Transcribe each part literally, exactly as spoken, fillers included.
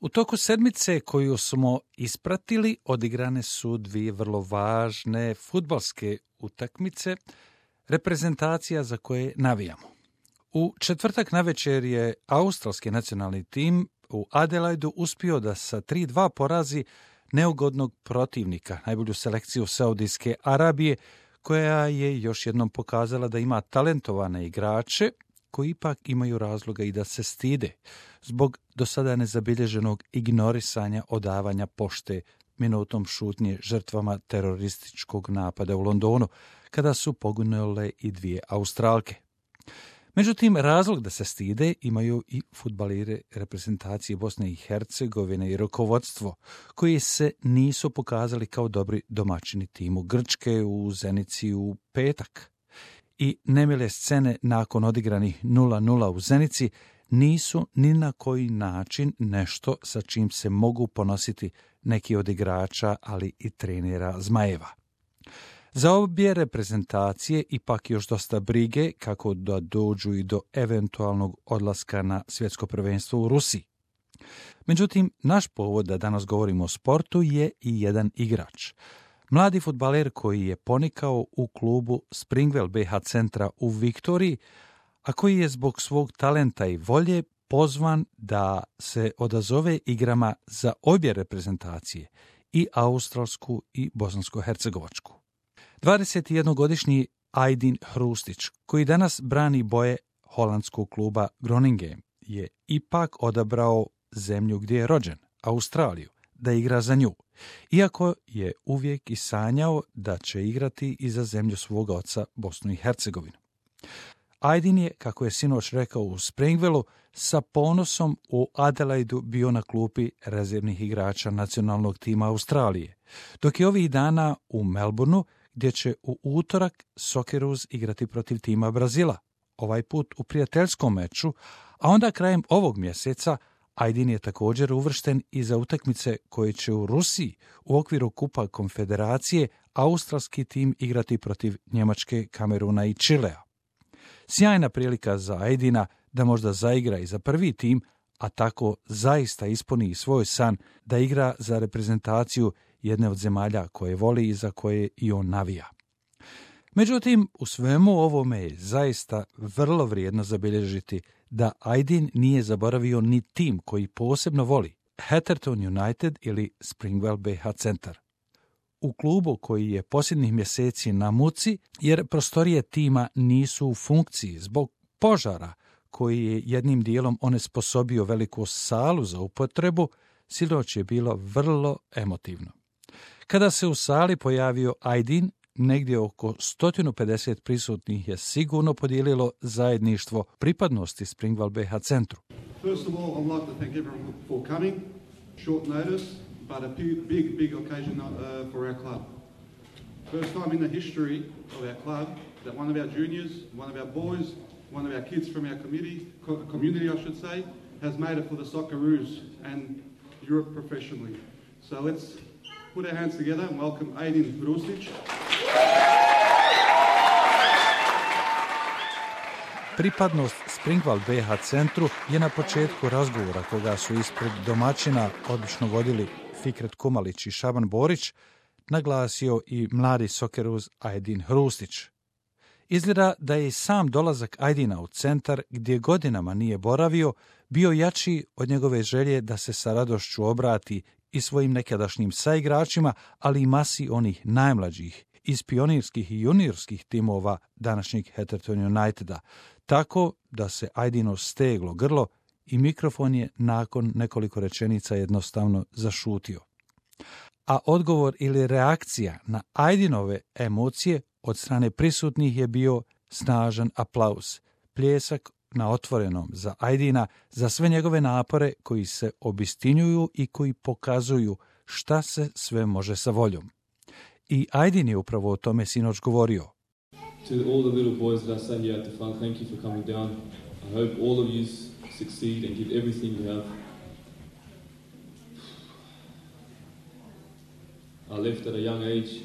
U toku sedmice koju smo ispratili odigrane su dvije vrlo važne fudbalske utakmice, reprezentacija za koje navijamo. U četvrtak navečer je australski nacionalni tim u Adelaidu uspio da sa tri dva porazi neugodnog protivnika, najbolju selekciju Saudijske Arabije, koja je još jednom pokazala da ima talentovane igrače koji ipak imaju razloga i da se stide zbog do sada nezabilježenog ignorisanja odavanja pošte minutom šutnje žrtvama terorističkog napada u Londonu, kada su poginule i dvije Australke. Međutim, razlog da se stide imaju i fudbaleri reprezentacije Bosne i Hercegovine i rukovodstvo, koji se nisu pokazali kao dobri domaćini timu Grčke u Zenici u petak. I nemile scene nakon odigranih nula nula u Zenici nisu ni na koji način nešto sa čim se mogu ponositi neki od igrača, ali i trenera Zmajeva. Za obje reprezentacije ipak još dosta brige kako da dođu i do eventualnog odlaska na svjetsko prvenstvo u Rusiji. Međutim, naš povod da danas govorimo o sportu je i jedan igrač. Mladi fudbaler koji je ponikao u klubu Springwell B H centra u Viktoriji, a koji je zbog svog talenta i volje pozvan da se odazove igrama za obje reprezentacije, i australsku i bosansko-hercegovačku. dvadesetjednogodišnji Ajdin Hrustić, koji danas brani boje holandskog kluba Groningen, je ipak odabrao zemlju gdje je rođen, Australiju, da igra za nju, iako je uvijek i sanjao da će igrati i za zemlju svoga oca, Bosnu i Hercegovinu. Ajdin je, kako je sinoć rekao u Springwellu, sa ponosom u Adelaidu bio na klupi rezervnih igrača nacionalnog tima Australije, dok je ovih dana u Melbourneu, gdje će u utorak Socceroos igrati protiv tima Brazila, ovaj put u prijateljskom meču, a onda krajem ovog mjeseca Ajdin je također uvršten i za utakmice koje će u Rusiji u okviru Kupa Konfederacije australski tim igrati protiv Njemačke, Kameruna i Čilea. Sjajna prilika za Ajdina da možda zaigra i za prvi tim, a tako zaista ispuni svoj san da igra za reprezentaciju jedne od zemalja koje voli i za koje i on navija. Međutim, u svemu ovome je zaista vrlo vrijedno zabilježiti da Ajdin nije zaboravio ni tim koji posebno voli, Hatherton United ili Springwell B H centar. U klubu koji je posljednjih mjeseci na muci, jer prostorije tima nisu u funkciji zbog požara koji je jednim dijelom onesposobio veliku salu za upotrebu, sinoć je bilo vrlo emotivno. Kada se u sali pojavio Ajdin, negdje oko sto pedeset prisutnih je sigurno podijelilo zajedništvo pripadnosti Springwell B H centru. First of all, I'd like to thank everyone for coming. Short notice, but a big, big, big occasion uh, for our club. First time in the history of our club that one of our juniors, one of our boys, one of our kids from our community, co- community I should say, has made it for the Socceroos and Europe professionally. So let's put our hands together and welcome Ajdin Hrustić. Pripadnost Springwell B H centru je na početku razgovora koga su ispred domaćina odlično vodili Fikret Kumalić i Šaban Borić, naglasio i mladi Socceroos Ajdin Hrustić. Izgleda da je i sam dolazak Ajdina u centar, gdje godinama nije boravio, bio jači od njegove želje da se sa radošću obrati i svojim nekadašnjim saigračima, ali i masi onih najmlađih iz pionirskih i juniorskih timova današnjeg Hatherton Uniteda, tako da se Ajdino steglo grlo i mikrofon je nakon nekoliko rečenica jednostavno zašutio. A odgovor ili reakcija na Ajdinove emocije od strane prisutnih je bio snažan aplauz, pljesak na otvorenom za Ajdina, za sve njegove napore koji se obistinjuju i koji pokazuju šta se sve može sa voljom. I Ajdin je upravo o tome sinoć govorio. To all the little boys that are sat here at the front, thank you for coming down. I hope all of you succeed and give everything you have. I left at a young age.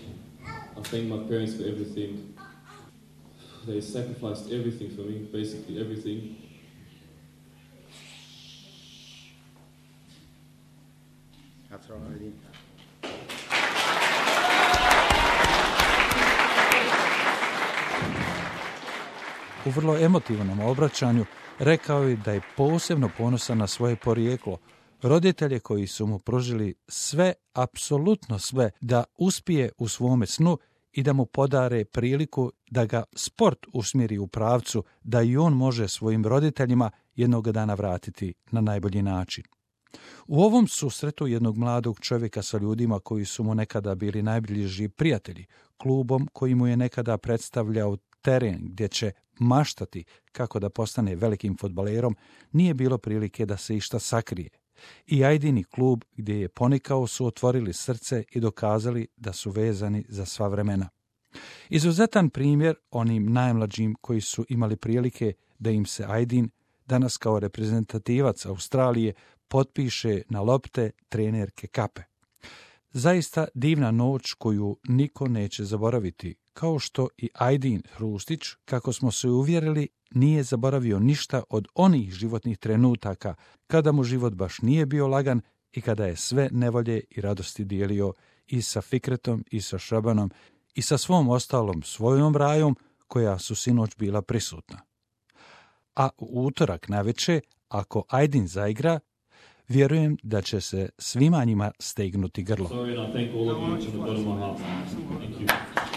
I thank my parents for everything. They sacrificed everything for me, basically everything. throw already. U vrlo emotivnom obraćanju rekao je da je posebno ponosan na svoje porijeklo, roditelje koji su mu pružili sve, apsolutno sve, da uspije u svome snu i da mu podare priliku da ga sport usmjeri u pravcu, da i on može svojim roditeljima jednog dana vratiti na najbolji način. U ovom susretu jednog mladog čovjeka sa ljudima koji su mu nekada bili najbliži prijatelji, klubom koji mu je nekada predstavljao teren gdje će maštati kako da postane velikim fudbalerom, nije bilo prilike da se išta sakrije. I Ajdini klub gdje je ponikao su otvorili srce i dokazali da su vezani za sva vremena. Izuzetan primjer onim najmlađim koji su imali prilike da im se Ajdin, danas kao reprezentativac Australije, potpiše na lopte trenerke kape. Zaista divna noć koju niko neće zaboraviti, kao što i Ajdin Hrustić, kako smo se uvjerili, nije zaboravio ništa od onih životnih trenutaka kada mu život baš nije bio lagan i kada je sve nevolje i radosti dijelio i sa Fikretom i sa Šabanom i sa svom ostalom svojom rajom koja su sinoć bila prisutna. A u utorak navečer, ako Ajdin zaigra, vjerujem da će se svima njima stegnuti grlo. Sorry, and I thank all of you from the bottom of my heart. Thank you.